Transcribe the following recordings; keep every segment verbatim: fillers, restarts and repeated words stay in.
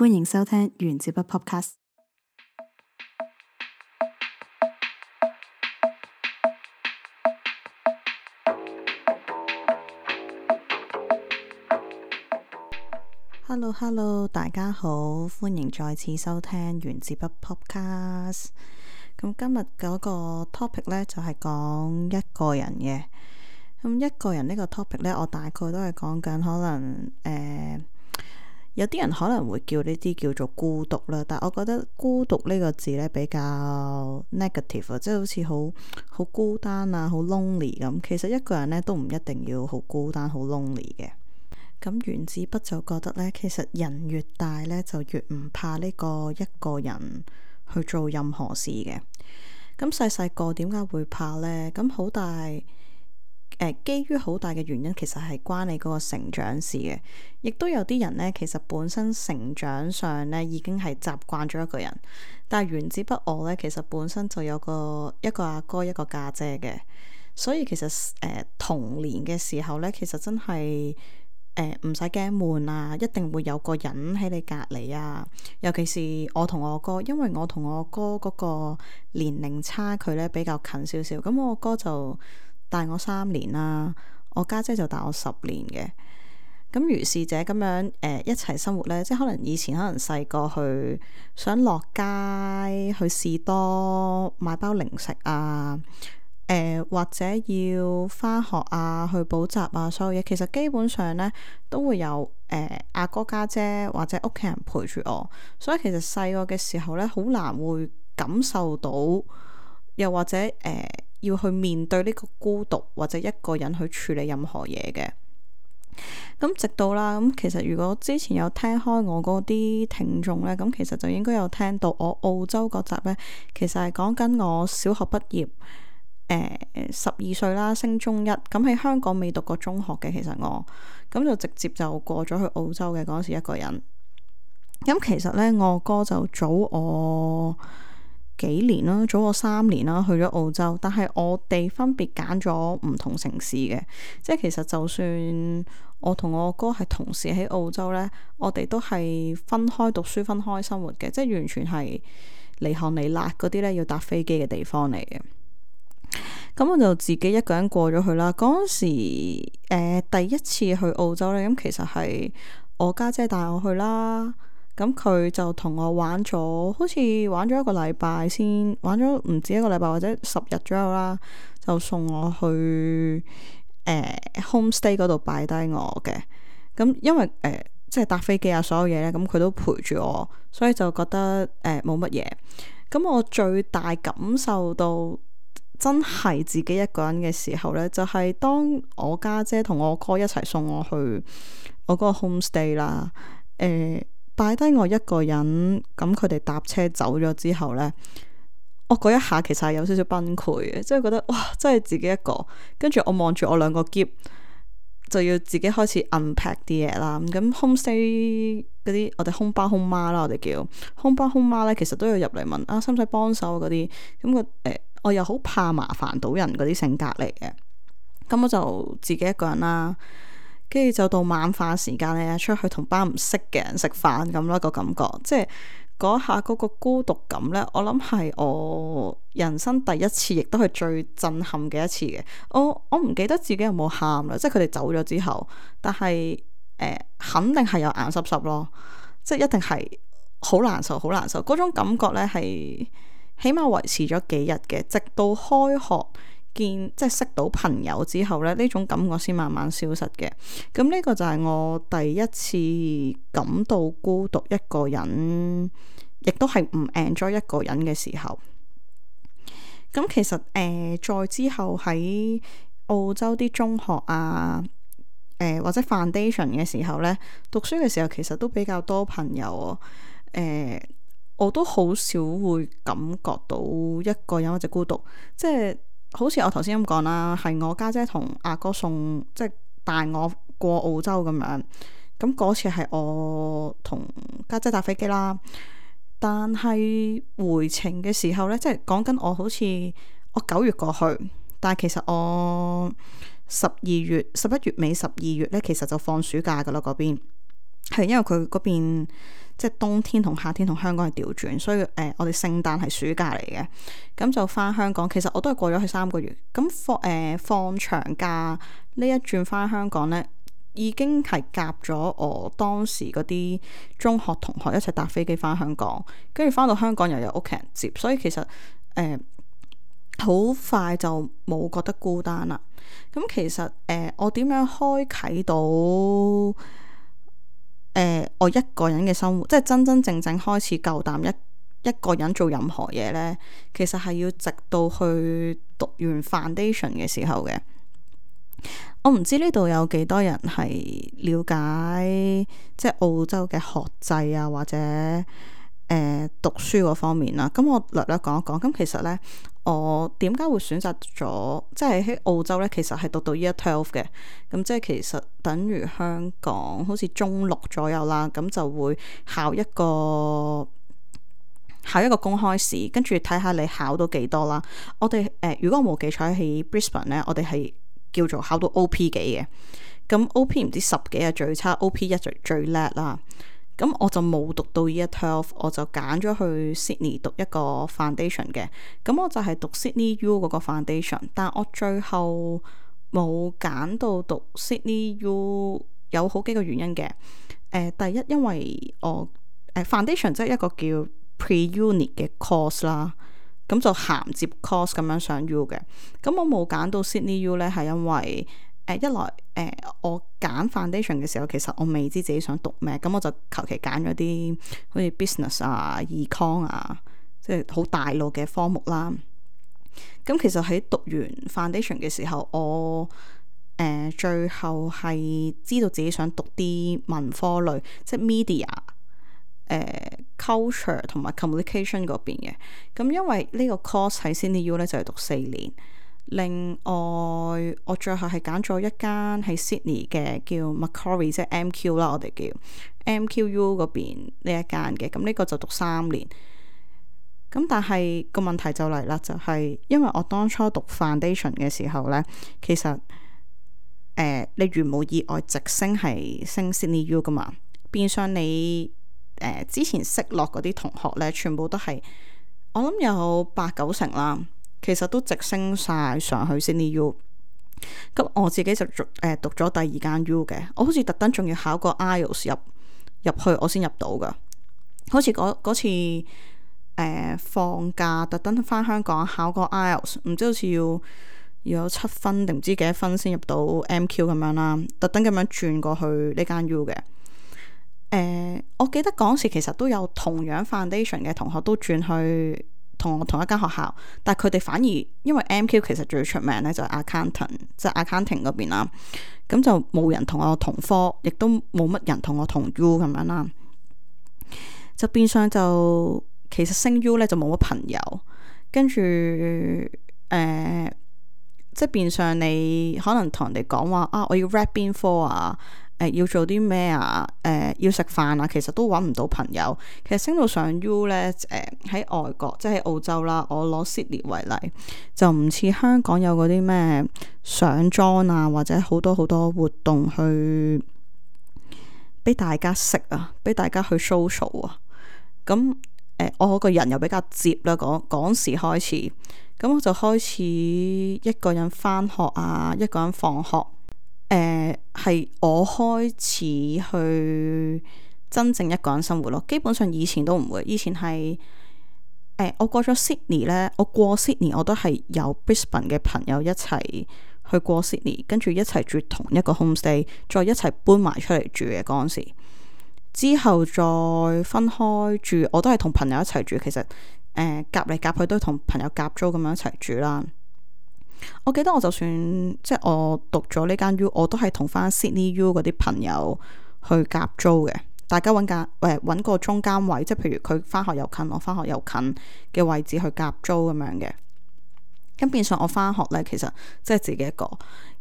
歡迎收聽原子筆 Podcast。Hello Hello，大家好，歡迎再次收聽原子筆 Podcast。咁今日嗰個 topic 呢，就係講一個人嘅。咁一個人呢個 topic 呢，我大概都係講緊可能誒、呃，有啲人可能會叫呢啲叫做孤獨啦，但係我覺得孤獨呢個字呢，比較 negative 啊，即係好似好好孤單啊，好 lonely 咁。其實一個人呢，都唔一定要好孤單好 lonely 嘅。咁原子筆就覺得呢，其實人越大呢，就越唔怕呢個一個人去做任何事嘅。咁細細個點解會怕呢？咁好大誒、呃，基於好大嘅原因，其實係關你嗰個成長事嘅。亦都有啲人呢，其實本身成長上呢已經係習慣咗一個人，但係原子筆我呢，其實本身就有個一個阿哥一個家姐嘅，所以其實誒、呃、童年嘅時候呢，其實真係。誒唔使驚悶啊，一定會有個人喺你隔離啊。尤其是我同我哥，因為我同我哥嗰個年齡差距咧比較近少少。咁我哥就大我三年啦，我家姐就大我十年嘅。咁如是者咁樣誒、呃、一齊生活咧，即係可能以前可能細個去想落街去士多買包零食啊。誒、呃、或者要返學啊，去補習啊，所有嘢其實基本上咧都會有誒阿哥家姐或者屋企人陪住我，所以其實細個嘅時候咧好難會感受到，又或者誒、呃、要去面對呢個孤獨或者一個人去處理任何嘢嘅。咁直到啦，咁其實如果之前有聽開我嗰啲聽眾咧，咁其實就應該有聽到我澳洲嗰集咧，其實係講緊我小學畢業。誒十二歲啦，升中一，咁喺香港未讀過中學嘅，其實我咁就直接就過咗去澳洲嘅嗰時一個人。咁其實呢，我哥就早我幾年啦，早我三年啦，去咗澳洲。但係我哋分別揀咗唔同城市嘅，即係其實就算我同我哥係同時喺澳洲呢，我哋都係分開讀書、分開生活嘅，即係完全係離行離辣嗰啲呢，要搭飛機嘅地方嚟嘅。咁我就自己一個人過咗去啦。嗰陣時，誒、呃、第一次去澳洲咧，咁其實係我家姐帶我去啦。咁佢就同我玩咗，好似玩咗一個禮拜先，玩咗唔止一個禮拜或者十日左右啦，就送我去誒、呃、homestay 嗰度擺低我嘅。咁因為誒、呃、即係搭飛機啊，所有嘢咧，咁佢都陪住我，所以就覺得誒冇乜嘢。咁、呃、我最大感受到。真係自己一個人嘅時候呢，就係、是、當我家姐同我哥一齊送我去我嗰個 homestay 啦，誒擺低我一個人，咁佢哋搭車走咗之後呢，我嗰一下其實係有少少崩潰嘅，即係覺得哇，真係自己一個，跟住我望住我兩個篋，就要自己開始 unpack 啲嘢啦。咁 homestay 嗰啲我哋空爸空媽啦，我哋叫空爸空媽呢，其實都要入嚟問啊，使唔使幫手嗰啲咁個誒。我又好怕麻煩到人嗰啲性格嚟嘅，咁我就自己一個人啦，跟住就到晚飯時間咧，出去同班唔識嘅人食飯咁咯，個感覺，即係嗰下嗰個孤獨感呢，我諗係我人生第一次，亦都係最震撼嘅一次嘅。我我唔記得自己有冇喊啦，即係佢哋走咗之後，但係誒、呃、肯定係有眼濕濕咯，即係一定係好難受，好難受嗰種感覺呢係。起碼維持咗幾日嘅，直到開學見即係識到朋友之後咧，呢種感覺先慢慢消失嘅。咁呢個就係我第一次感到孤獨一個人，亦都係唔 enjoy 一個人嘅時候。咁其實誒、呃，再之後喺澳洲啲中學啊，誒、呃、或者 foundation 嘅時候咧，讀書嘅時候其實都比較多朋友啊，誒、呃。我都好少會感覺到一個人或者孤獨，即係好似我頭先咁講啦，係我家姐同阿哥送，即係帶我過澳洲咁樣。咁嗰次係我同家姐搭飛機啦，但係回程嘅時候呢，即係講緊我好似我九月過去，但係其實我十二月十一月尾十二月呢，其實就放暑假噶啦嗰邊。係因為佢嗰邊即係冬天同夏天同香港係調轉，所以誒、呃、我哋聖誕係暑假嚟嘅，咁就翻香港。其實我都係過咗去三個月，咁放誒、呃、放長假呢一轉翻香港呢，已經係夾咗我當時嗰啲中學同學一齊搭飛機翻香港，跟住翻到香港又有屋企人接，所以其實誒好、呃、快就冇覺得孤單啦。咁其實誒、呃、我點樣開啟到誒、呃、我一個人嘅生活，即係真真正正開始夠膽一一個人做任何嘢呢？其實係要直到去讀完 foundation 嘅時候嘅。我唔知呢度有幾多人係了解即係澳洲嘅學制啊，或者誒、呃、讀書嗰方面啦。咁我略略講一講。咁其實呢，我點解會選擇咗即係喺澳洲呢？其實係讀到 Year twelve 嘅。咁即係其實等於香港好似中六左右啦。咁就會考一個考一個公開試，跟住睇下你考到幾多啦。我哋誒、呃，如果我冇記錯喺 Brisbane 呢，我哋係叫做考到 O P 幾嘅，咁 O P 唔知十幾係最差，O P 一就最叻啦。咁我就冇讀到 Year twelve，我就揀咗去 Sydney 讀一個 foundation 嘅。咁我就係讀 Sydney U 嗰個 foundation，但我最後冇揀到讀 Sydney U， 有好幾個原因嘅。誒、呃，第一因為我誒、呃、foundation 即係一個叫 pre-uni 嘅 course 啦。咁就銜接 course 咁樣上 U 嘅，咁我冇揀到 Sydney U 咧，係因為誒、呃、一來誒、呃、我揀 foundation 嘅時候，其實我未知自己想讀咩，咁我就求其揀咗啲好似 business 啊、econ 啊，即係好大路嘅科目啦。咁其實喺讀完 foundation 嘅時候，我誒、呃、最後係知道自己想讀啲文科類，即係 media。誒、uh, culture 同埋 communication 嗰邊嘅，咁因為呢個 course 喺 Sydney U 咧就係、是、讀四年。另外我最後係揀咗一間喺 Sydney 嘅叫 Macquarie， 即係 M Q 啦，我哋叫 M Q U 嗰邊呢一間嘅，咁呢個就讀三年。咁但係個問題就嚟啦，就係、是、因為我當初讀 foundation 嘅時候咧，其實誒、呃、你如無意外直升係升 Sydney U 噶嘛，變相你誒、呃，之前識落嗰啲同學咧，全部都係我諗有八九成啦。其實都直升晒上去 Sydney U。咁我自己就誒、呃、讀咗第二間 U 嘅，我好似特登仲要考個 I E L T S 入入去，我先入到噶。好似嗰嗰次誒、呃、放假特登翻香港考個 I E L T S， 唔知好似要要有七分定唔知幾多分先入到 M Q 咁樣啦。特登咁樣轉過去呢間 U 嘅。誒、呃，我記得嗰時其實都有同樣 foundation 嘅同學都轉去同我同一間學校，但係佢哋反而因為 M Q 其實最出名咧就係 accountant，即係 accounting 嗰邊啦，咁就冇人同我同科，亦都冇乜人同我同 U 咁樣啦，就變相就其實升 U 咧就冇乜朋友，跟住誒、呃，即係變相你可能同人哋講話啊，我要 rap 邊科啊。誒、呃，要做啲咩啊？誒、呃，要食飯啊，其實都揾唔到朋友。其實升到上 U 咧，誒、呃、喺外國，即係喺澳洲啦。我攞 Sydney 為例，就唔似香港有嗰啲咩上莊啊，或者好多好多活動去俾大家識啊，俾大家去 social 啊。咁誒、呃，我個人又比較接啦，嗰嗰時開始，咁我就開始一個人返學啊，一個人放學。誒，係、呃、我開始去真正一個人生活咯。基本上以前都唔會，以前係誒、呃，我過咗 Sydney 咧，我過 Sydney 我都係有 Brisbane 嘅朋友一齊去過 Sydney，跟住一齊住同一個 homestay，再一齊搬埋出嚟住嘅嗰陣時。之後再分開住，我都係同朋友一齊住。其實誒，夾嚟夾去都係同朋友夾租咁樣一齊住啦。我記得我就算即係我讀咗呢間 U， 我都係同翻 Sydney U 嗰啲朋友去夾租嘅，大家揾間誒揾個中間位，即係譬如佢翻學又近，我翻學又近嘅位置去夾租咁樣嘅。咁變相我翻學呢，其實即係自己一個。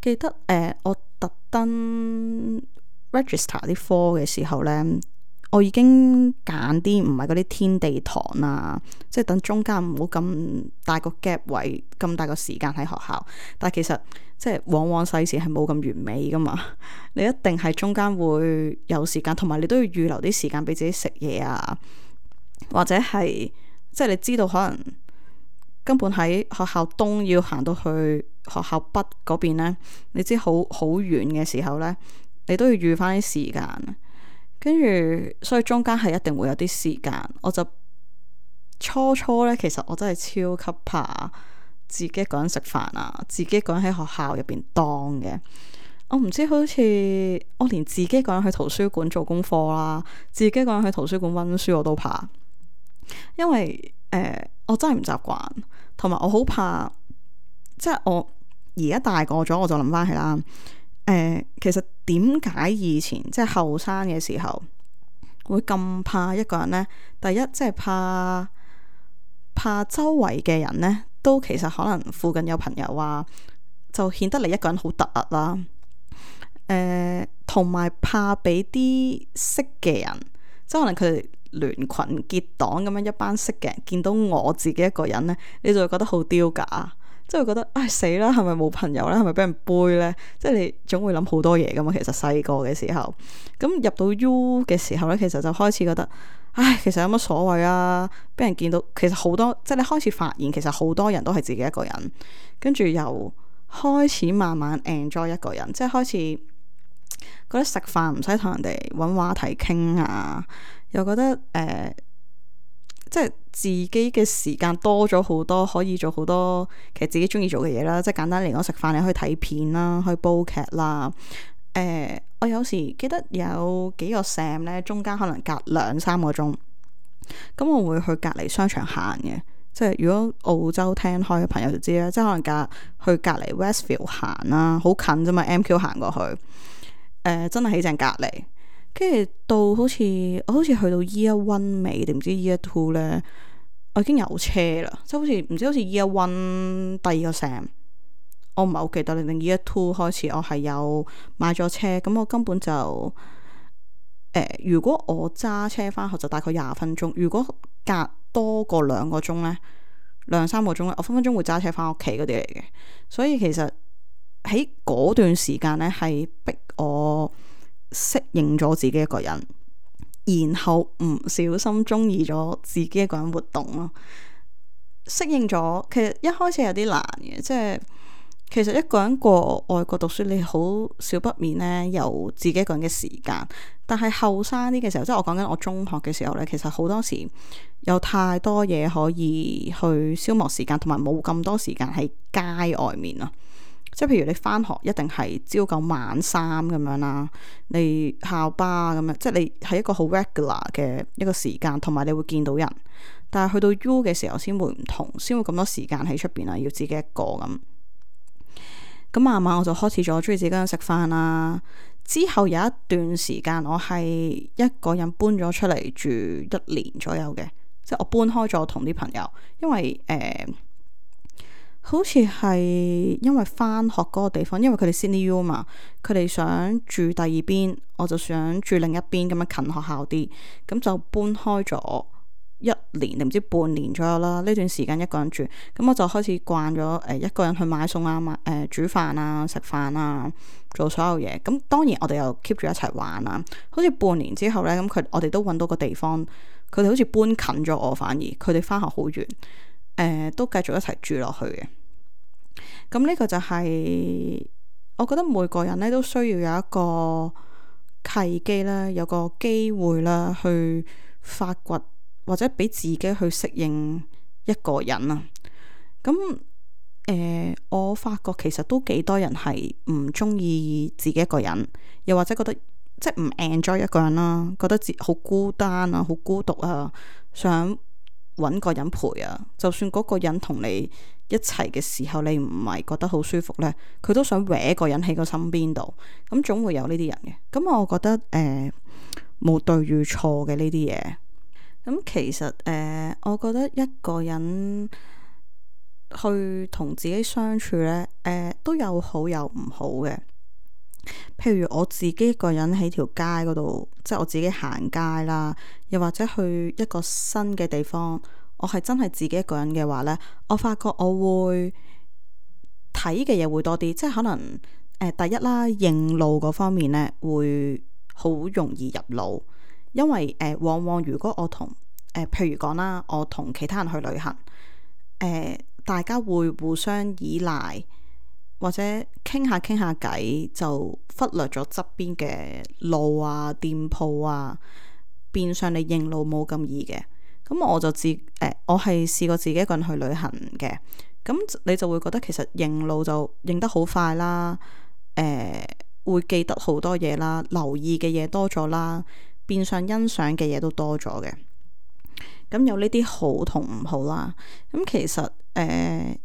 記得誒、呃，我特登 register 啲科嘅時候呢，我已經揀啲唔係嗰啲天地堂啊，即係等中間唔好咁大個 gap 位，咁大個時間喺學校。但係其實即係往往世事係冇咁完美噶嘛，你一定係中間會有時間，同埋你都要預留啲時間俾自己食嘢啊，或者係即係你知道可能根本喺學校東要行到去學校北嗰邊呢，你知好好遠嘅時候呢，你都要預翻啲時間。跟住，所以中間係一定會有啲時間。我就初初呢，其實我真係超級怕自己一個人食飯啊，自己一個人喺學校入邊當嘅。我唔知好似我連自己一個人去圖書館做功課啦，自己一個人去圖書館溫書我都怕，因為誒、呃、我真係唔習慣，同埋我好怕，即係我而家大個咗，我就諗翻起啦。誒、呃，其實點解以前即係後生嘅時候會咁怕一個人呢？第一，即係怕怕周圍嘅人呢，都其實可能附近有朋友啊，就顯得你一個人好突兀啦。誒、呃，同埋怕俾啲識嘅人，即係可能佢哋聯群結黨咁樣一班識嘅人見到我自己一個人呢，你就會覺得好丟架。即係會覺得唉，死啦，係咪冇朋友咧？係咪俾人背咧？即係你總會諗好多嘢噶嘛。其實細個嘅時候，咁入到 U 嘅時候咧，其實就開始覺得唉，其實有乜所謂啊？俾人見到，其實好多即係你開始發現，其實好多人都係自己一個人，跟住又開始慢慢 enjoy 一個人，即係開始覺得食飯唔使同人哋搵話題傾啊，又覺得誒。呃即係自己嘅時間多咗好多，可以做好多其實自己中意做嘅嘢啦。即係簡單嚟講，食飯你可以睇片啦，可以煲劇啦。誒、呃，我有時記得有幾個 Sam 咧，中間可能隔兩三個鐘，咁我會去隔離商場行嘅。即係如果澳洲聽開嘅朋友就知啦，即係可能隔去隔離 Westfield 行啦，好近啫嘛，M Q 行過去。誒、呃，真係喺正隔離。跟住到好似我好似去到 Year One 尾定唔知 Year Two 咧，我已經有車啦，即係好似唔知好似 Year One 第二個 Sem，我唔係好記得你定 Year Two 開始我係有買咗車，咁我根本就誒、呃，如果我揸車翻學就大概廿分鐘，如果隔多過兩個鐘咧，兩三個鐘咧，我分分鐘會揸車翻屋企嗰啲嚟嘅，所以其實喺嗰段時間咧係逼我適應咗自己一個人，然後唔小心中意咗自己一個人活動咯。適應咗，其實一開始有啲難嘅，即係其實一個人過外國讀書，你好少不免呢有自己一個人嘅時間。但係後生啲嘅時候，即係我講緊我中學嘅時候呢，其實好多時有太多嘢可以去消磨時間，同埋冇咁多時間喺街外面啊。即係譬如你翻學一定係朝九晚三咁樣啦，你校巴咁樣，即係你係一個好 regular 嘅一個時間，同埋你會見到人。但係去到 U 嘅時候先會唔同，先會咁多時間喺出邊啊，要自己一個咁。咁慢慢我就開始咗中意自己一個人食飯啦。之後有一段時間我係一個人搬咗出嚟住一年左右嘅，即係我搬開咗同啲朋友，因為誒。呃好似係因為翻學嗰個地方，因為佢哋 Sydney U 嘛，佢哋想住第二邊，我就想住另一邊咁樣近學校啲，咁就搬開咗一年定唔知半年左右啦。呢段時間一個人住，咁我就開始慣咗誒、呃、一個人去買餸啊、買誒、呃、煮飯啊、食飯啊、做所有嘢。咁當然我哋又 keep 住一齊玩啊。好似半年之後呢，咁佢我哋都揾到個地方，佢哋好似搬近咗我，反而佢哋翻學好遠。誒、呃，都繼續一齊住落去嘅。咁呢個就係、是、我覺得每個人咧都需要有一個契機啦，有個機會啦，去發掘或者俾自己去適應一個人啊。咁誒、呃，我發覺其實都幾多人係唔中意自己一個人，又或者覺得即係唔 enjoy 一個人啦，覺得自好孤單啊，好孤獨啊，想搵個人陪啊，就算嗰個人同你一齊嘅時候，你唔係覺得好舒服呢，佢都想搲個人喺個身邊度，咁總會有呢啲人嘅。咁我覺得誒冇、呃、對與錯嘅呢啲嘢。咁其實誒、呃，我覺得一個人去同自己相處呢，誒、呃、都有好有唔好嘅。譬如我自己一個人喺條街嗰度，即係我自己行街啦，又或者去一個新嘅地方，我係真係自己一個人嘅話呢，我發覺我會睇嘅嘢會多啲，即係可能誒、呃、第一啦，認路嗰方面呢會好容易入腦，因為誒、呃、往往如果我同誒、呃、譬如講啦，我同其他人去旅行，誒、呃、大家會互相依賴。或者傾下傾下偈，就忽略咗側邊嘅路啊、店鋪啊，變相你認路冇咁易嘅。咁我就自誒、呃，我係試過自己一個人去旅行嘅。咁你就會覺得其實認路就認得好快啦，誒、呃、會記得好多嘢啦，留意嘅嘢多咗啦，變相欣賞嘅嘢都多咗嘅。咁有呢啲好同唔好啦。咁其實誒。呃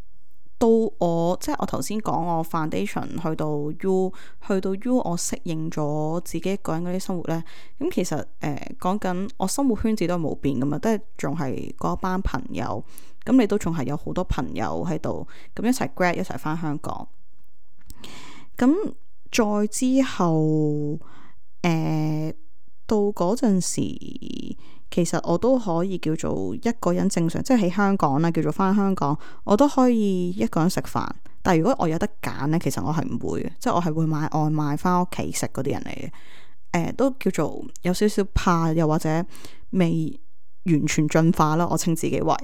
到我即係我頭先講我 foundation 去到 U 去到 U 我適應咗自己一個人嗰啲生活呢。咁其實誒講緊我生活圈子都係冇變噶嘛，都係仲係嗰班朋友，咁你都仲係有好多朋友喺度，咁一齊 grad 一齊翻香港。咁再之後誒、呃、到嗰陣時。其實我都可以叫做一個人正常，即係喺香港啦，叫做翻香港，我都可以一個人食飯。但係如果我有得揀呢，其實我係唔會嘅，即係我係會買外賣翻屋企食嗰啲人嚟嘅。誒、呃，都叫做有少少怕，又或者未完全進化啦。我稱自己為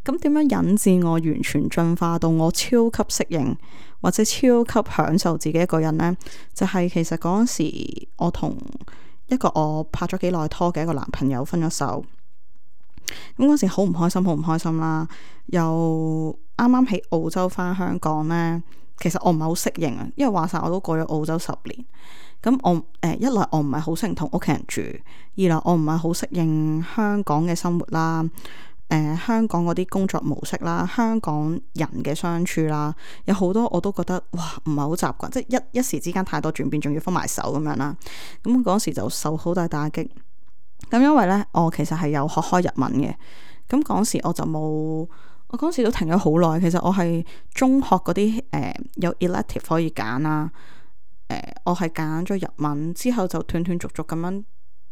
咁點樣引致我完全進化到我超級適應或者超級享受自己一個人呢？就係、是、其實嗰陣時我同一個我拍咗幾耐拖嘅一個男朋友分咗手，咁嗰時好唔開心，好唔開心啦。又啱啱喺澳洲翻香港呢，其實我唔係好適應啊，因為話晒我都過咗澳洲十年。咁我誒、呃、一來我唔係好適應同屋企人住，二來我唔係好適應香港嘅生活啦。誒、呃，香港嗰啲工作模式啦，香港人嘅相處啦，有好多我都覺得哇，唔係好習慣，即係一一時之間太多轉變，仲要分埋手咁樣啦。咁嗰時就受好大打擊。咁因為呢，我其實係有學開日文嘅。咁嗰時我就冇，我嗰時都停咗好耐。其實我係中學嗰啲誒有 elective 可以揀啦。誒、呃，我係揀咗日文之後就斷斷續續咁樣。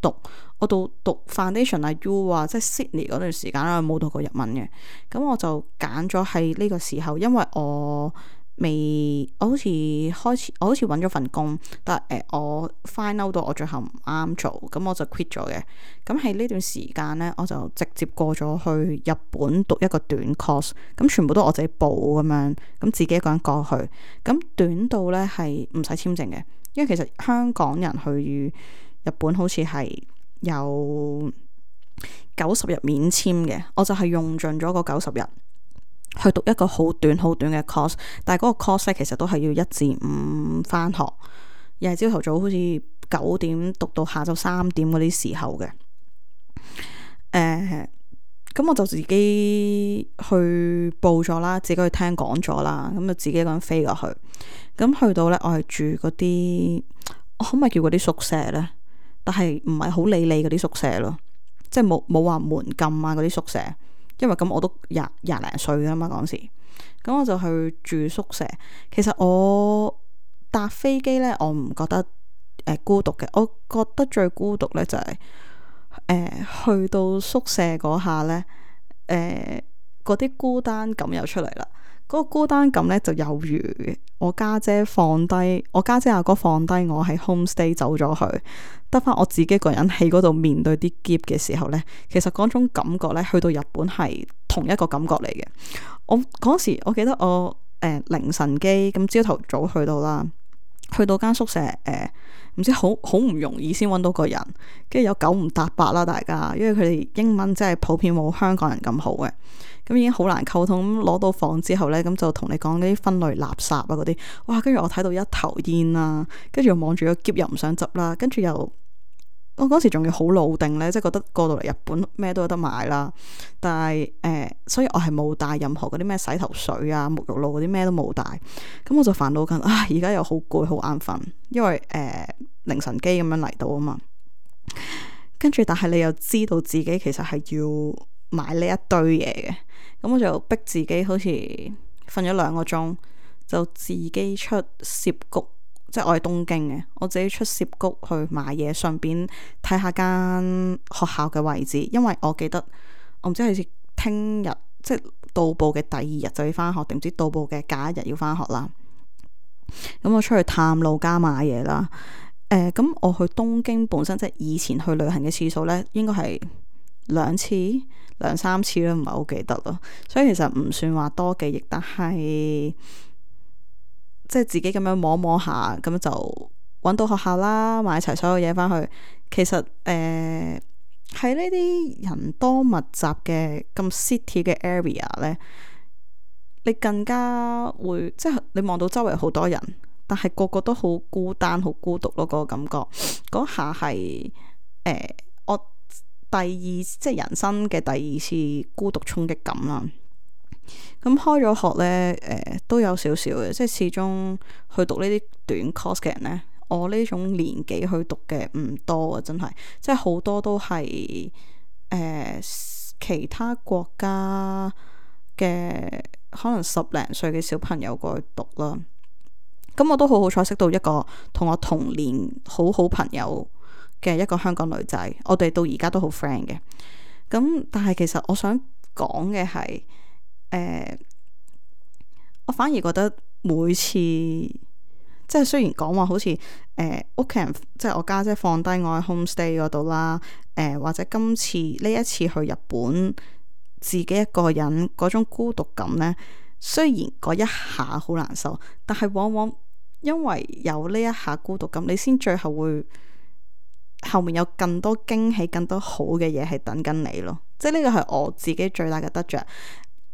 讀我到讀 foundation 啊 U 啊，即係 Sydney 嗰段時間咧，我冇讀過日文嘅。咁我就揀咗喺呢個時候，因為我未我好似開始我好似揾咗份工，但係誒、呃、我 find out 到我最後唔啱做，咁我就 quit 咗嘅。咁喺呢段時間呢，我就直接過咗去日本讀一個短 course，咁全部都我自己報咁樣，咁自己一個人過去。咁短到呢係唔使簽證嘅，因為其實香港人去日本好似係有九十日免簽嘅，我就係用盡咗個九十日去讀一個好短好短嘅 course， 但係嗰個 course 其實都係要一至五返學，又係朝頭早好似九點讀到下晝三點嗰啲時候嘅。誒、呃，咁我就自己去報咗啦，自己去聽講座啦，咁就自己一個人飛過去。咁去到呢，我係住嗰啲，我可唔可以叫嗰啲宿舍呢？但係唔係好理你嗰啲宿舍咯，即係冇冇話門禁啊嗰啲宿舍，因為咁我都廿廿零歲㗎嘛嗰時，咁我就去住宿舍。其實我搭飛機呢，我唔覺得誒、呃、孤獨嘅，我覺得最孤獨呢就係、是、誒、呃、去到宿舍嗰下呢，誒嗰啲孤單感又出嚟啦。嗰個孤單感咧就有如我家姐放低我家姐阿哥放低我喺 homestay 走咗去，得翻我自己個人喺嗰度面對啲喼嘅時候咧，其實嗰種感覺咧，去到日本係同一個感覺嚟嘅。我嗰時我記得我誒、呃、凌晨機咁朝頭早去到啦，去到間宿舍誒，唔、呃、知好好唔容易先揾到個人，跟住有九唔搭八啦，大家因為佢哋英文真係普遍冇香港人咁好嘅。咁已經好難溝通，咁攞到房之後呢，咁就同你講嗰啲分類垃圾啊嗰啲，哇！跟住我睇到一頭煙啦，跟住又望住個篋又唔想執啦，跟住又我嗰時仲要好老定呢，即係覺得過到嚟日本咩都有得買啦，但係誒、呃，所以我係冇帶任何嗰啲咩洗頭水啊、沐浴露嗰啲咩都冇帶，咁我就煩惱緊啊！而家又好攰好眼瞓，因為誒、呃、凌晨機咁樣嚟到啊嘛，跟住但係你又知道自己其實係要買呢一堆嘢嘅。咁我就逼自己好似瞓咗兩個鐘，就自己出涉谷即係我係東京嘅，我自己出涉谷去買嘢，順便睇下間學校嘅位置，因為我記得我唔知係聽日即係到埗嘅第二日就要翻學，定唔知到埗嘅假一日要翻學啦。咁我出去探路加買嘢啦。誒、呃，咁我去東京本身即係以前去旅行嘅次數呢，應該係兩次、兩三次啦，唔係好記得咯。所以其實唔算話多記憶，但係。即係自己咁樣摸摸下，咁就揾到學校啦，買齊所有嘢翻去。其實誒喺呢啲人多密集嘅咁 city 嘅 area 呢，你更加會即係你望到周圍好多人，但係個個都好孤單、好孤獨咯。嗰個感覺嗰下係誒我第二即係人生嘅第二次孤獨衝擊感啦。咁開咗學呢，誒、呃、都有少少嘅，即係始終去讀呢啲短 course 嘅人呢，我呢種年紀去讀嘅唔多啊，真係，即係好多都係誒、呃、其他國家嘅可能十零歲嘅小朋友過去讀啦。咁我都好好彩識到一個同我同年好好朋友嘅一個香港女仔，我哋到而家都好 friend 嘅。咁但係其實我想講嘅係。誒、呃，我反而覺得每次即係雖然講話好似誒屋企人即係我家姐放低我喺 homestay 嗰度啦，誒、呃、或者今次呢一次去日本自己一個人嗰種孤獨感呢，雖然嗰一下好難受，但係往往因為有呢一下孤獨感，你先最後會後面有更多驚喜、更多好嘅嘢係等緊你咯。即係呢個係我自己最大嘅得着。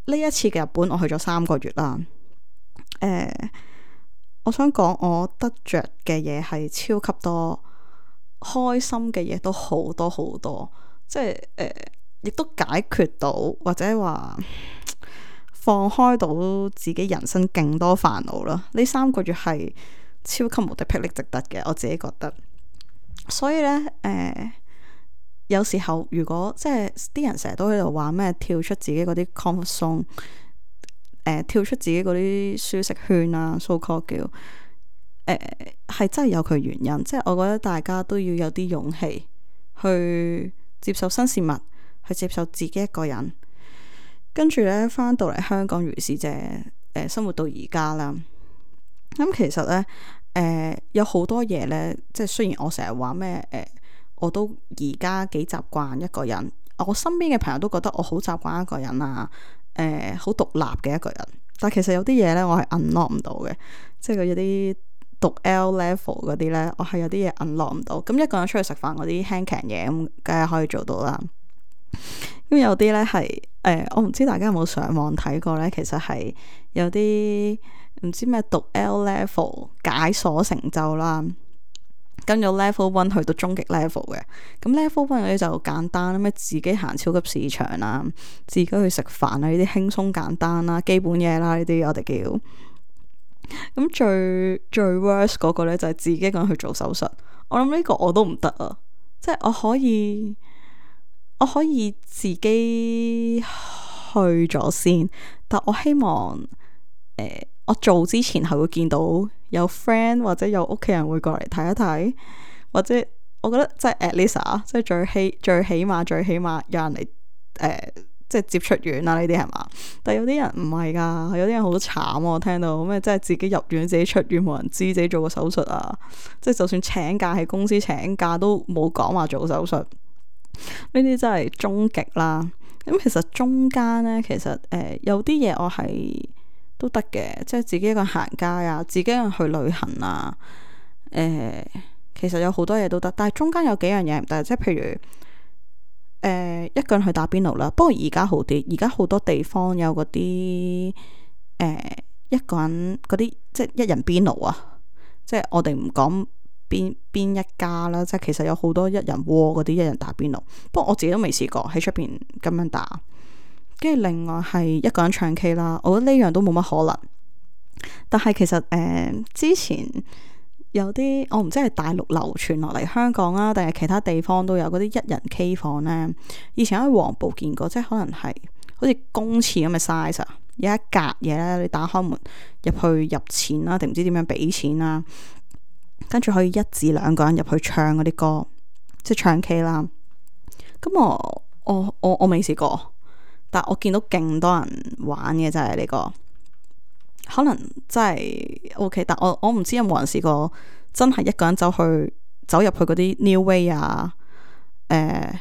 呢一次嘅日本我去咗三個月啦，誒、呃，我想講我得着嘅嘢係超級多，開心嘅嘢都好多好多，即係誒，亦、呃、都解決到或者話放開到自己人生勁多煩惱啦。呢三個月係超級無敵霹靂值得嘅，我自己覺得。所以呢，誒、呃。有時候如果即係啲人成日都喺度話咩跳出自己嗰啲 comfort zone，誒跳出自己嗰啲舒適圈啊 so called 叫誒係、呃、真係有佢原因，即係我覺得大家都要有啲勇氣去接受新事物，去接受自己一個人，跟住咧翻到嚟香港如是者誒、呃、生活到而家啦。咁、嗯、其實咧誒、呃、有好多嘢咧，即係雖然我成日話咩誒。呃我都而家幾習慣一個人，我身邊嘅朋友都覺得我好習慣一個人啊，誒、呃，好獨立嘅一個人。但其實有啲嘢咧，我係 unlock 唔到嘅，即係佢有啲讀 L level 嗰啲咧，我係有啲嘢 unlock 唔到。咁一個人出去食飯嗰啲輕鬆嘢，咁梗係可以做到啦。咁有啲咧係誒，我唔知大家有冇上網睇過咧，其實係有啲唔知咩讀 L level 解鎖成就啦。跟咗 level one 去到終極 level 嘅，咁 level one 嗰啲就簡單，咩自己行超級市場啊，自己去食飯啊，呢啲輕鬆簡單啦，基本嘢啦，呢啲我哋叫。咁最最 worst 嗰個咧就係自己一個人去做手術，我諗呢個我都唔得啊，即係我可以我可以自己去咗先，但我希望誒、呃、我做之前係會見到有 friend 或者有屋企人會過嚟睇一睇，或者我覺得即係 at least 即係最起最起碼最起碼有人嚟誒、呃，即係接出院啦，呢啲係嘛？但係有啲人唔係噶，有啲人好慘，我聽到咩即係自己入院自己出院冇人知，自己做個手術啊，即係就算請假喺公司請假都冇講話做手術，呢啲真係終極啦。咁其實中間呢，其實誒、呃、有啲嘢我係都得嘅，即係自己一個人行街啊，自己一個人去旅行啊，誒、呃，其實有好多嘢都得，但係中間有幾樣嘢唔得，即係譬如誒、呃、一個人去打邊爐啦。不過而家好啲，而家好多地方有嗰啲誒一個人嗰啲即係一人邊爐啊，即係我哋唔講邊邊一家啦，即係其實有好多一人鍋嗰啲一人打邊爐。不過我自己都未試過喺出邊咁樣打。跟住另外係一個人唱 K 啦，我覺得呢樣都冇乜可能。但係其實誒、呃、之前有啲我唔知係大陸流傳落嚟香港啊，定係其他地方都有嗰啲一人 K 房呢。以前喺黃埔見過，即係可能係好似公廁咁嘅 size 啊，有一格嘢咧，你打開門入去入錢啦，定唔知點樣俾錢啦。跟住可以一至兩個人入去唱嗰啲歌，即係唱 K 啦。咁我我我我未試過，但我見到勁多人玩嘅就係呢個，可能真係 OK。但我我唔知有冇人試過真係一個人走去走入去嗰啲 New Way 啊，誒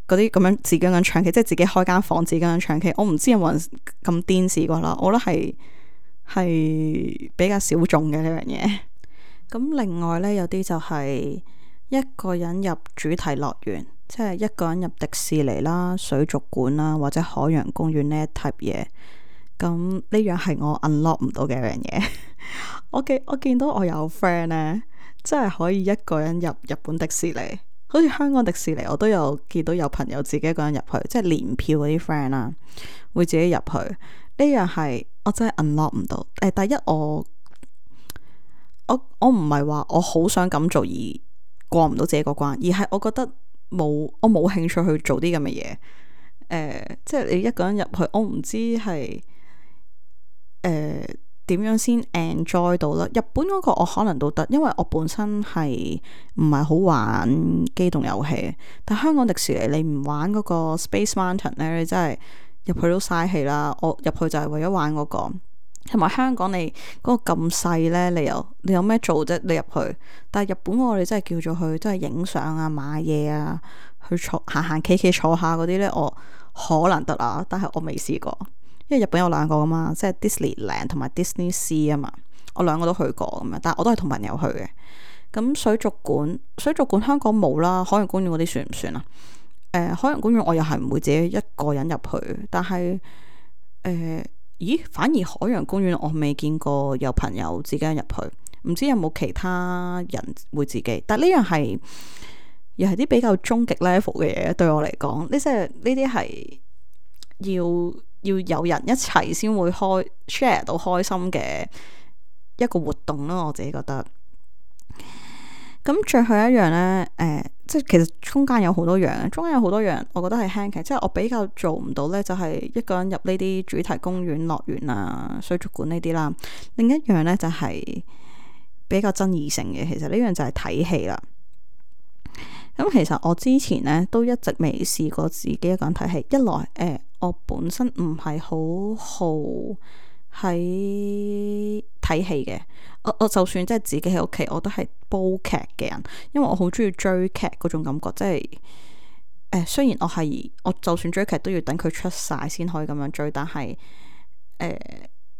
嗰啲咁樣自己咁樣唱 K，即係自己開間房自己咁樣唱 K。我唔知有冇人咁癲試過啦。我覺得係係比較小眾嘅呢樣嘢。咁另外呢，有啲就係一個人入主題樂園，即係一個人入迪士尼啦、水族館啦或者海洋公園呢一 type 嘢。咁呢樣係我 unlock 唔到嘅一樣嘢。我見我見到我有 friend 呢，真係可以一個人入日本迪士尼，好似香港迪士尼我都有見到有朋友自己一個人入去，即係年票嗰啲 friend 啦，會自己入去。呢樣係我真係 unlock 唔到。誒，第一我。我我唔係話我好想咁做而過唔到自己個關，而係我覺得冇我冇興趣去做啲咁嘅嘢。誒、呃，即係你一個人入去，我唔知係誒點樣先 enjoy 到啦。日本嗰個我可能都得，因為我本身係唔係好玩機動遊戲。但香港迪士尼你唔玩嗰個 Space Mountain 咧，你真係入去都嘥氣啦。我入去就係為咗玩嗰個。同埋香港你嗰個咁細呢，你又你有咩做啫？你入去，但係日本我哋真係叫咗去，真係影相啊、買嘢啊、去坐行行企企坐下嗰啲呢，我可能得啊，但係我未試過，因為日本有兩個噶嘛，即係 Disneyland 同埋 Disney Sea 啊嘛，我兩個都去過咁樣，但係我都係同朋友去嘅。咁水族館，水族館香港冇啦，海洋公園嗰啲算唔算啊？誒、呃，海洋公園我又係唔會自己一個人入去，但係誒。呃咦，反而海洋公園我未見過有朋友自己入去，唔知有冇其他人會自己。但呢樣係又係啲比較終極 level 嘅嘢，對我嚟講，呢即係呢啲係要要有人一齊先會開 share 到開心嘅一個活動咯。我自己覺得。咁最後一樣呢，誒、呃，即係其實中間有好多樣，中間有好多樣，我覺得係輕嘅，即係我比較做唔到呢，就係一個人入呢啲主題公園、樂園啊、水族館呢啲啦。另一樣呢，就係比較爭議性嘅，其實呢樣就係睇戲啦。咁其實我之前呢，都一直未試過自己一個人睇戲，一來誒、呃，我本身唔係好好喺睇戲嘅。我我就算即係自己喺屋企，我都係煲劇嘅人，因為我好中意追劇嗰種感覺，即係誒、呃，雖然我係我就算追劇都要等佢出晒先可以咁樣追，但係誒、呃，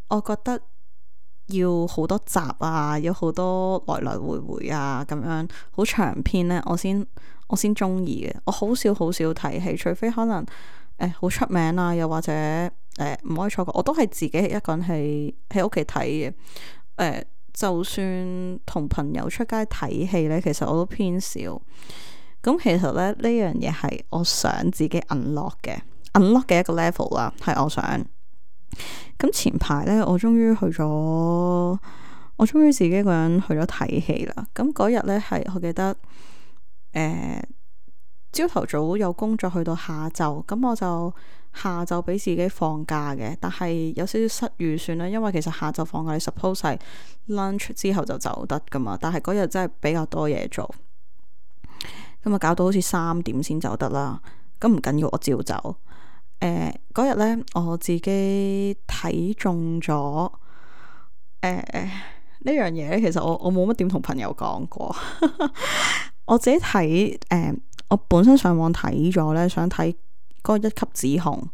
我覺得要好多集啊，有好多來來回回啊，咁樣好長篇呢，我先我先中意嘅。我好少好少睇戲，除非可能誒好、呃、出名啊，又或者誒唔、呃、可以錯過，我都係自己一個人喺喺屋企睇嘅誒。呃就算同朋友出街睇戲呢，其實我都偏少。咁其實咧，呢樣嘢係我想自己 unlock 嘅 unlock 嘅一個 level 啦，係我想。咁前排呢，我終於去咗，我終於自己一個人去咗睇戲啦。咁嗰日呢，係我記得，誒朝頭早有工作去到下晝，咁我就下晝俾自己放假嘅，但係有少少失預算啦，因為其實下晝放假你 suppose 係 lunch 之後就走得噶嘛，但係嗰日真係比較多嘢做，咁啊搞到好似三點先走得啦。咁唔緊要，我照走。誒嗰日呢，我自己睇中咗誒呢樣嘢咧，其實我我冇乜點同朋友講過，我自己睇誒、呃，我本身上網睇咗呢，想睇嗰個一級指控，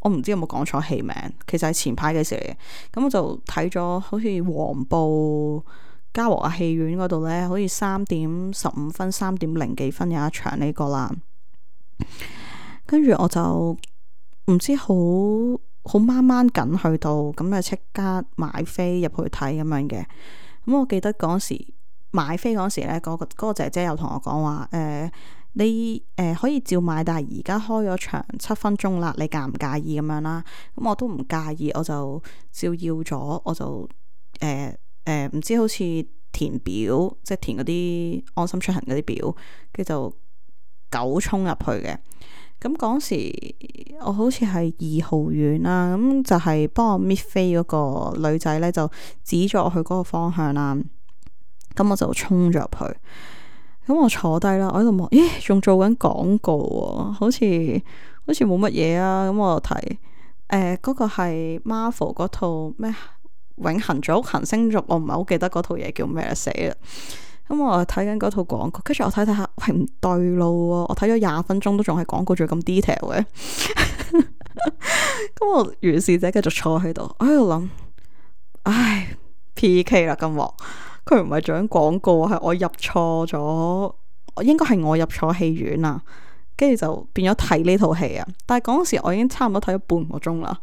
我唔知有冇講錯戲名，其實係前排嘅事嚟嘅。咁我就睇咗，好似黃埔嘉和亞戲院嗰度呢，好似三點十五分、三點零幾分有一場呢個啦。跟住我就唔知好好掹掹緊去到，咁就即刻買飛入去睇咁樣嘅。咁我記得嗰時買飛嗰時呢，嗰、嗰個嗰、嗰個姐姐又同我講話，誒、呃。你誒、呃、可以照買，但係而家開咗場七分鐘啦，你介唔介意咁樣啦？咁我都唔介意，我就照要咗，我就誒誒唔知好似填表，即係填嗰啲安心出行嗰啲表，跟住就九衝入去嘅。咁嗰時我好似係二號院啦，咁就係幫我搣飛嗰個女仔咧，就指咗我去嗰個方向啦。咁我就衝咗入去。咁我坐低啦，我喺度望，咦，仲做緊廣告喎，好似好似冇乜嘢啊。咁我就睇，誒、呃，嗰、嗰個係 Marvel 嗰套咩永恆族、行星族，我唔係好記得嗰套嘢叫咩死啦。咁我睇緊嗰套廣告，跟住我睇睇下，喂，唔對路喎，我睇咗廿分鐘都仲係廣告，仲咁 detail 嘅。咁我如是者繼續坐喺度，我喺度諗，唉 P K 啦，今鑊佢唔係做緊廣告，係我入錯咗，應該係我入錯戲院啊，跟住就變咗睇呢套戲啊。但係嗰時我已經差唔多睇咗半個鐘啦，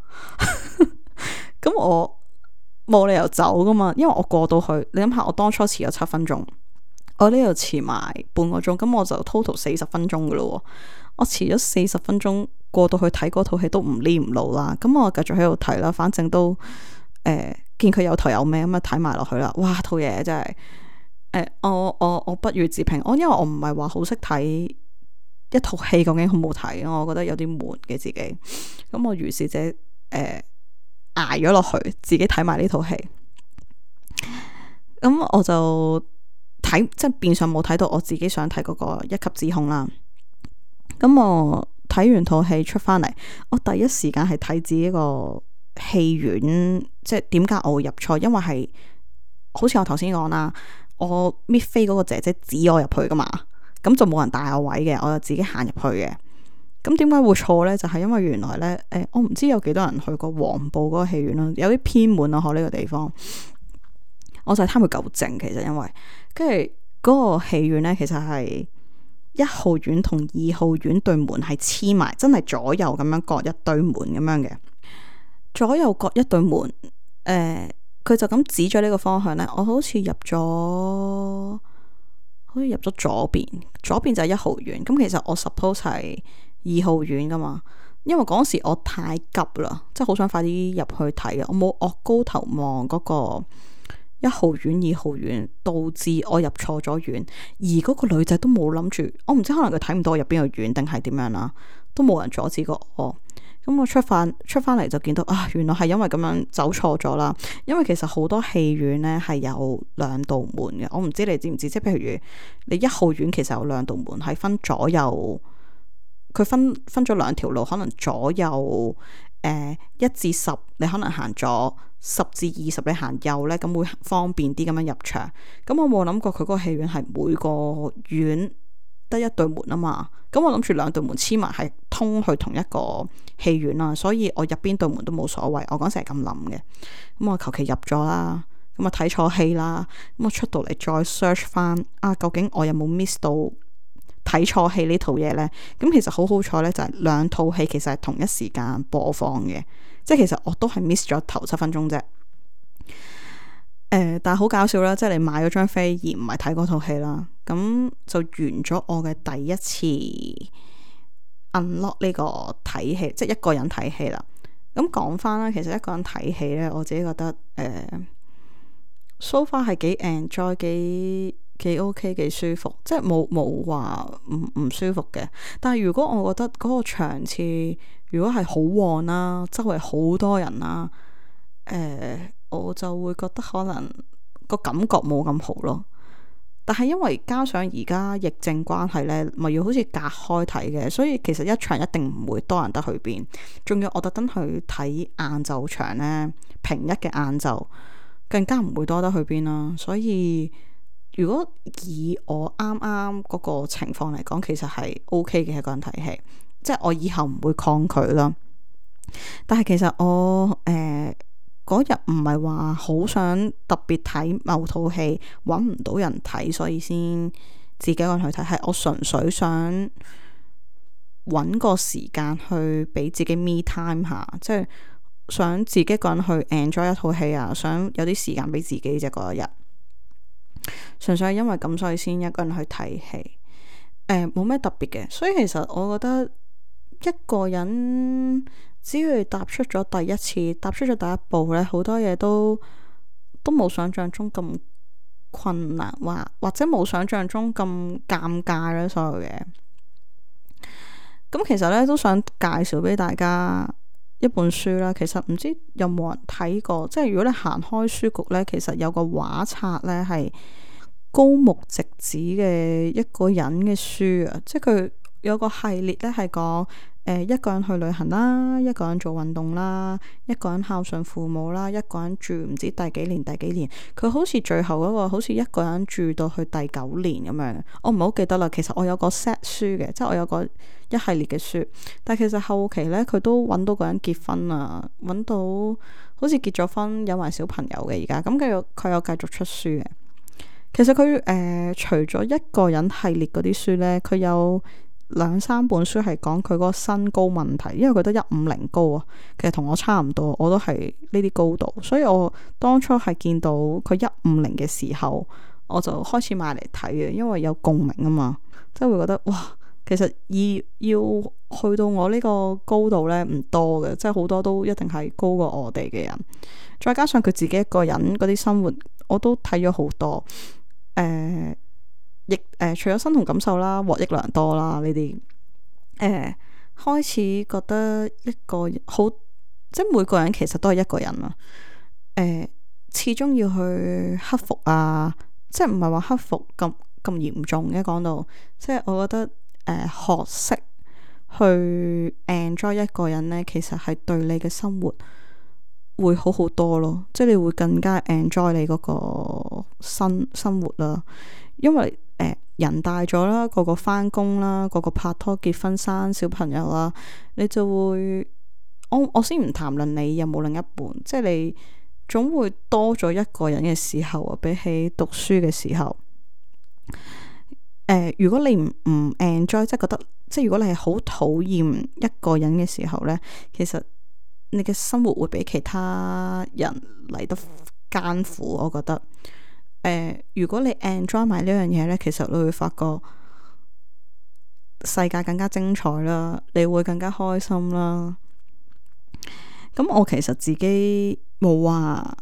咁我冇理由走噶嘛，因為我過到去，你諗下，我當初遲咗七分鐘，我呢度遲埋半個鐘，咁我就 total 四十分鐘噶咯。我遲咗四十分鐘過到去睇嗰套戲都唔黏唔路啦，咁我繼續喺度睇啦，反正都誒、呃、見佢有頭有尾咁啊，睇埋落去啦。哇，套嘢真係誒、呃，我我我不予置評。我因為我唔係話好識睇一套戲究竟好唔好睇，我覺得有啲悶嘅自己。咁我如是者誒捱咗落去，自己睇埋呢套戲。咁我就睇，即係變相冇睇到我自己想睇嗰個一級指控啦。咁我睇完套戲出翻嚟，我第一時間係睇自己個戲院，即係點解我會入錯？因為係好似我頭先講啦，我搣飛嗰個姐姐指我入去噶嘛，咁就冇人帶我位嘅，我就自己行入去嘅。咁點解會錯呢？就係、是、因為原來呢，誒、呃，我唔知有幾多人去過黃埔嗰個戲院啦，有啲偏門啊，嗬呢個地方。我就係貪佢夠靜，其實因為跟住嗰個戲院呢，其實係一號院同二號院對門係黐埋，真係左右咁樣各一對門咁樣嘅，左右各一對門。誒、呃，佢就咁指咗呢個方向呢，我好似入咗，好似入咗左邊，左邊就係一號院。咁其實我 suppose 係二號院噶嘛，因為嗰時我太急啦，即係好想快啲入去睇啊，我冇惡高頭望嗰個一號院、二號院，導致我入錯咗院。而嗰個女仔都冇諗住，我唔知可能佢睇唔到我入邊個院定係點樣啦，都冇人阻止過我。咁我出翻出翻嚟就見到啊，原來係因為咁樣走錯咗啦。因為其實好多戲院呢係有兩道門嘅，我唔知你知唔知？即係譬如你一號院其實有兩道門，係分左右，佢分分咗兩條路，可能左右誒一至十，你可能行左。十至二十你行右呢，咁會方便啲咁樣入場。咁我冇諗過佢嗰個戲院係每個院得一對門啊嘛。咁我諗住兩對門黐埋係通去同一個戲院啦，所以我入邊對門都冇所謂。我嗰時係咁諗嘅。咁我求其入咗啦，咁啊睇錯戲啦。咁我出到嚟再 search 翻啊，究竟我有冇 miss 到睇錯戲呢套嘢呢？咁其實好好彩呢，就係兩套戲其實係同一時間播放嘅。即係其實我都係 miss 咗頭七分鐘啫，誒、呃，但係好搞笑啦！即係你買咗張飛而唔係睇嗰套戲啦，咁就完咗我嘅第一次 unlock 呢個睇戲，即係一個人睇戲啦。咁講翻啦，其實一個人睇戲咧，我自己覺得誒，so far 係幾 enjoy，幾幾 ok，幾舒服，即係冇冇話唔唔舒服嘅。但係如果我覺得嗰個場次，如果係好旺啦，周圍好多人啦，誒、呃，我就會覺得可能個感覺冇咁好咯。但係因為加上而家疫症關係呢，咪要好似隔開睇嘅，所以其實一場一定唔會多人得去邊。仲要我特登去睇晏晝場呢，平一嘅晏晝更加唔會多得去邊啦。所以如果以我啱啱嗰個情況嚟講，其實係 OK 嘅一個人睇戲。即係我以後唔會抗拒啦，但係其實我誒嗰日唔係話好想特別睇某套戲，揾唔到人睇，所以先自己一個人去睇。係我純粹想揾個時間去俾自己 me time 下，即係想自己一個人去 enjoy 一套戲啊，想有啲時間俾自己啫嗰一日。純粹係因為咁，所以先一個人去睇戲。誒，冇咩特別嘅，所以其實我覺得。一個人只要踏出咗第一次，踏出咗第一步咧，好多嘢都都冇想象中咁困難，或或者冇想象中咁尷尬咧。所有嘢咁，其實咧都想介紹俾大家一本書啦。其實唔知有冇人睇過，即係如果你行開書局咧，其實有個畫冊咧係高木直子嘅一個人嘅書啊，即係佢有個系列咧係講誒一個人去旅行啦，一個人做運動啦，一個人孝順父母啦，一個人住唔知第幾年第幾年，佢好似最後嗰個好似一個人住到去第九年咁樣，我唔係好記得啦。其實我有個 set 書嘅，即係我有個一系列嘅書，但係其實後期咧佢都揾到個人結婚啊，揾到好似結咗婚有埋小朋友嘅而家，咁佢有佢有繼續出書嘅。其實佢誒、呃、除咗一個人系列嗰啲書呢，佢有兩三本書係講佢嗰個身高問題，因為佢得一五零高啊，其實同我差唔多，我都係呢啲高度，所以我當初係見到佢一五零嘅時候，我就開始買嚟睇嘅，因為有共鳴啊嘛，即係會覺得哇，其實要要去到我呢個高度呢，唔多嘅，即係好多都一定係高過我哋嘅人，再加上佢自己一個人嗰啲生活，我都睇咗好多。誒、呃，亦誒、呃，除咗身同感受啦，獲益良多啦，呢啲誒，開始覺得一個好，即係每個人其實都係一個人啊。誒、呃，始終要去克服啊，即係唔係話克服咁咁嚴重嘅講到，即係我覺得誒、呃，學識去 enjoy 一個人呢，其實係對你嘅生活會好好多咯，即係你會更加 enjoy 你嗰個生生活啦。因為誒、呃、人大咗啦，個個返工啦，個個拍拖結婚生小朋友啦，你就會我我先唔談論你有冇另一半，即係你總會多咗一個人嘅時候啊，比起讀書嘅時候。誒、呃，如果你唔唔 enjoy，即係覺得即係如果你係好討厭一個人嘅時候呢，其實你嘅生活會比其他人嚟得艱苦，我覺得。誒、呃，如果你 enjoy 埋呢樣嘢呢，其實你會發覺世界更加精彩啦，你會更加開心啦。咁我其實自己冇話，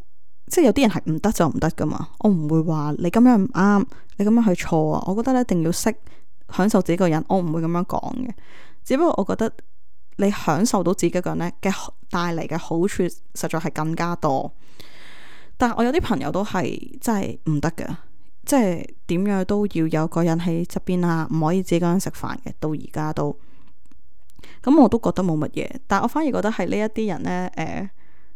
即係有啲人係唔得就唔得噶嘛，我唔會話你咁樣唔啱，你咁樣係錯啊。我覺得你一定要識享受自己個人，我唔會咁樣講嘅。只不過我覺得你享受到自己個人咧嘅帶嚟嘅好處，實在係更加多。但係我有啲朋友都係真係唔得嘅，即係點樣都要有個人喺側邊啊，唔可以自己一個人食飯嘅。到而家都咁，我都覺得冇乜嘢。但係我反而覺得係呢一啲人呢，誒、呃，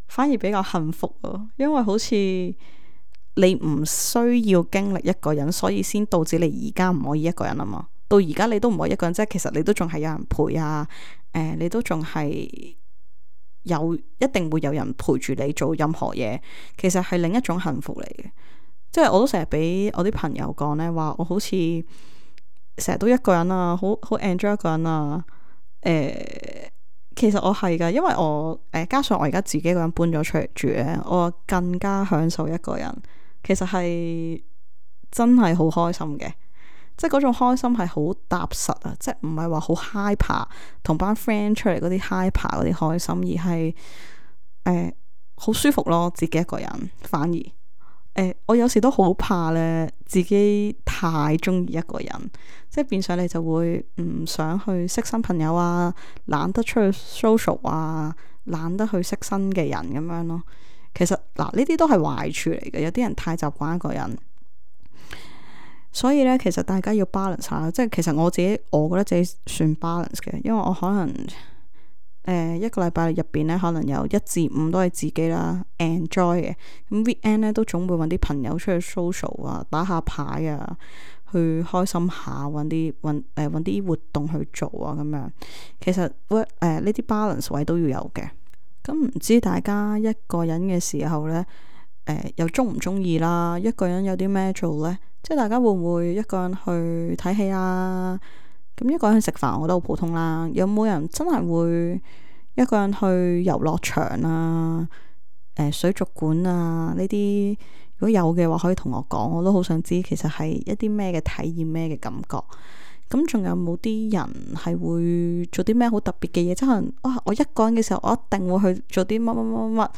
反而比較幸福啊，因為好似你唔需要經歷一個人，所以先導致你而家唔可以一個人啊嘛。到而家你都唔可以一個人，即係其實你都仲係有人陪啊。誒、呃，你都仲係有一定會有人陪住你做任何嘢，其實係另一種幸福嚟嘅。即係我都成日俾我啲朋友講呢，話我好似成日都一個人啊，好好 enjoy 一個人啊。誒、呃，其實我係噶，因為我誒、呃、加上我而家自己一個人搬咗出嚟住咧，我更加享受一個人。其實係真係好開心嘅。即係嗰種開心係好踏實啊！即係唔係話好 hyper 同班 friend 出嚟嗰啲 hyper 嗰啲開心，而係誒好舒服咯。自己一個人反而誒、呃，我有時都好怕咧，自己太中意一個人，即係變相你就會唔想去識新朋友啊，懶得出去 social 啊，懶得去識新嘅人咁樣咯。其實嗱，呢啲都係壞處嚟嘅。有啲人太習慣一個人。所以咧，其實大家要 balance 下，即係其實我自己，我覺得自己算 balance 嘅，因為我可能誒、呃、一個禮拜入邊咧，可能有一至五都係自己啦 enjoy 嘅。咁 weekend 咧都總會揾啲朋友出去 social 啊，打下牌啊，去開心下，揾啲揾誒揾啲活動去做啊，咁樣。其實 work 誒呢啲 balance 位都要有嘅。咁唔知大家一個人嘅時候咧，誒、呃、又中唔中意啦？一個人有啲咩做咧？即係大家會唔會一個人去睇戲啊？咁一個人去食飯，我覺得好普通啦。有冇人真係會一個人去遊樂場啊？誒、呃，水族館啊？呢啲如果有嘅話，可以同我講，我都好想知，其實係一啲咩嘅體驗，咩嘅感覺。咁仲有冇啲人係會做啲咩好特別嘅嘢？即係可能哇，我一個人嘅時候，我一定會去做啲乜乜乜乜。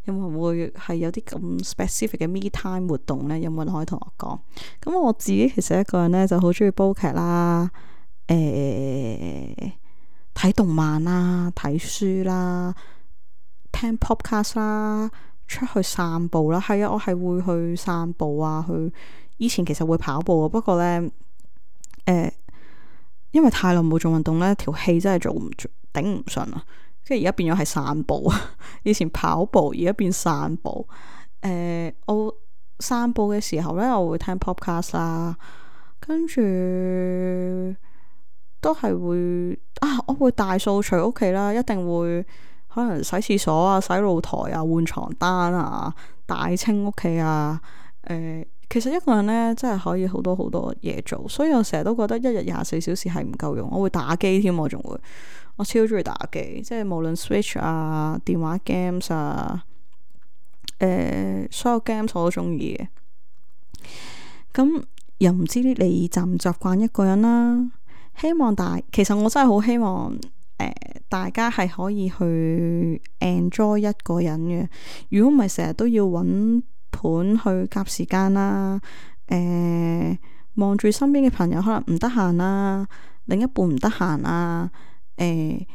有冇會係有啲咁 specific 嘅 me time 活動呢？有冇人可以同我講？咁我自己其實一個人呢，就好中意煲劇啦，誒、欸、睇動漫啦，睇書啦，聽 podcast 啦，出去散步啦。係啊，我係會去散步啊，去以前其實會跑步啊，不過呢，誒、呃，因為太耐冇做運動呢，條氣真係做唔頂唔順啊。跟住而家變咗係散步，以前跑步，而家變散步。誒、呃，我散步嘅時候呢，我會聽 podcast 啦，跟住都係會啊，我會大掃除屋企啦，一定會可能洗廁所啊、洗露台啊、換床單啊、大清屋企啊。誒、呃，其實一個人呢，真係可以好多好多嘢做，所以我成日都覺得一日廿四小時係唔夠用。我會打機添，我仲會，我超中意打機，即係無論 Switch 啊、電話 games 啊，誒、呃，所有 games 我都中意嘅。咁又唔知你習唔習慣一個人啦？希望大，其實我真係好希望誒、呃，大家係可以去 enjoy 一個人嘅。如果唔係成日都要揾盤去夾時間啦，誒、呃，望住身邊嘅朋友可能唔得閒啦，另一半唔得閒啦，誒、呃，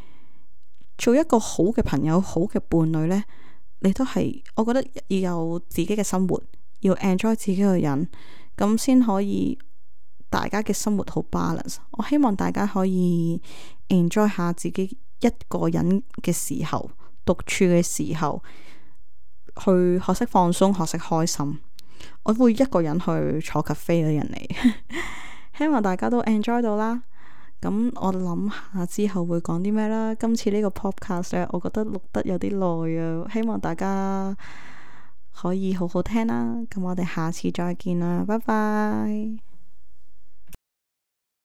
做一個好嘅朋友、好嘅伴侶呢，你都係，我覺得要有自己嘅生活，要 enjoy 自己嘅人，咁先可以大家嘅生活好 balance。我希望大家可以 enjoy 下自己一個人嘅時候，獨處嘅時候，去學識放鬆，學識開心。我會一個人去坐 cafe 嘅人嚟，希望大家都 enjoy 到啦。咁我諗下之後會講啲咩啦。今次呢個 podcast 咧，我覺得錄得有啲耐啊，希望大家可以好好聽啦。咁我哋下次再見啦，拜拜。